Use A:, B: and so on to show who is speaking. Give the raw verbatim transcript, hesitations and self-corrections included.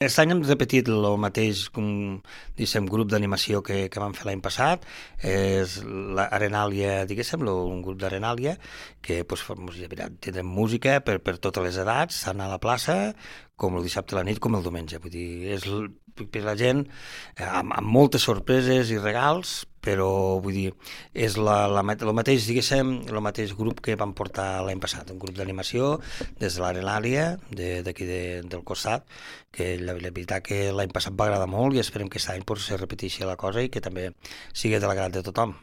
A: Aquest any hem repetit el mateix com, diguéssim, grup d'animació que, que vam fer l'any passat. És l'Arenàlia, diguéssim, lo- un grup d'Arenàlia que pues, fa música, mira, tindrem música per, per totes les edats, tant a la plaça com el dissabte a la nit com el diumenge. Vull dir, és l- per la gent eh, amb, amb moltes sorpreses i regals, però vull dir, és la, la, ma- el mateix, diguéssim, el mateix grup que vam portar l'any passat, un grup d'animació des de l'Arenàlia, de- d'aquí de, del costat, que la, la veritat que l'any passat va agradar molt i esperem que aquest any pues, se repeteixi la cosa i que també sigui de l'agrat de tothom.